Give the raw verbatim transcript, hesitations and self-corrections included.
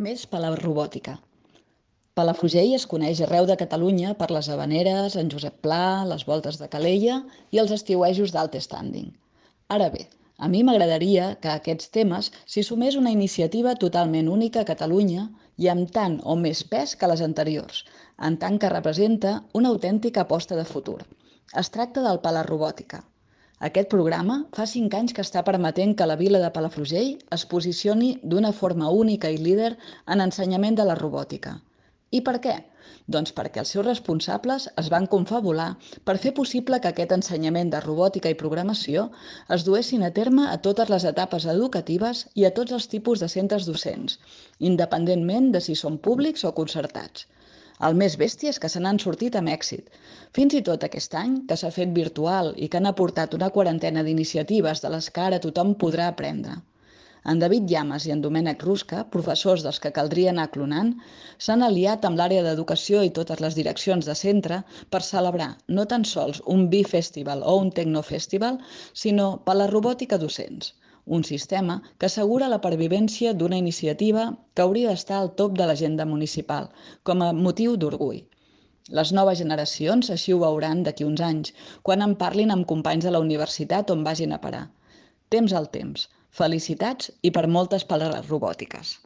Més Palarobòtica. Palafrugell es coneix arreu de Catalunya per les Havaneres, en Josep Pla, les voltes de Calella i els estiuejos d'alt standing. Ara bé, a mi m'agradaria que a aquests temes s'hi sumés una iniciativa totalment única a Catalunya i amb tant o més pes que les anteriors, en tant que representa una autèntica aposta de futur. Es tracta del Palarobòtica. Aquest programa fa cinc anys que està permetent que la vila de Palafrugell es posicioni d'una forma única i líder en ensenyament de la robòtica. I per què? Doncs perquè els seus responsables es van confabular per fer possible que aquest ensenyament de robòtica i programació es duessin a terme a totes les etapes educatives i a tots els tipus de centres docents, independentment de si són públics o concertats. El més bèstia és que se n'han sortit amb èxit. Fins i tot aquest any, que s'ha fet virtual i que han aportat una quarantena d'iniciatives de les que ara tothom podrà aprendre. En David Llamas i en Domènec Rusca, professors dels que caldria anar clonant, s'han aliat amb l'àrea d'educació i totes les direccions de centre per celebrar no tan sols un B-Festival o un Tecnofestival, sinó per la robòtica docents, un sistema que assegura la pervivència d'una iniciativa que hauria d'estar al top de l'agenda municipal, com a motiu d'orgull. Les noves generacions així ho veuran d'aquí uns anys, quan en parlin amb companys de la universitat on vagin a parar. Temps al temps. Felicitats i per moltes per les robòtiques.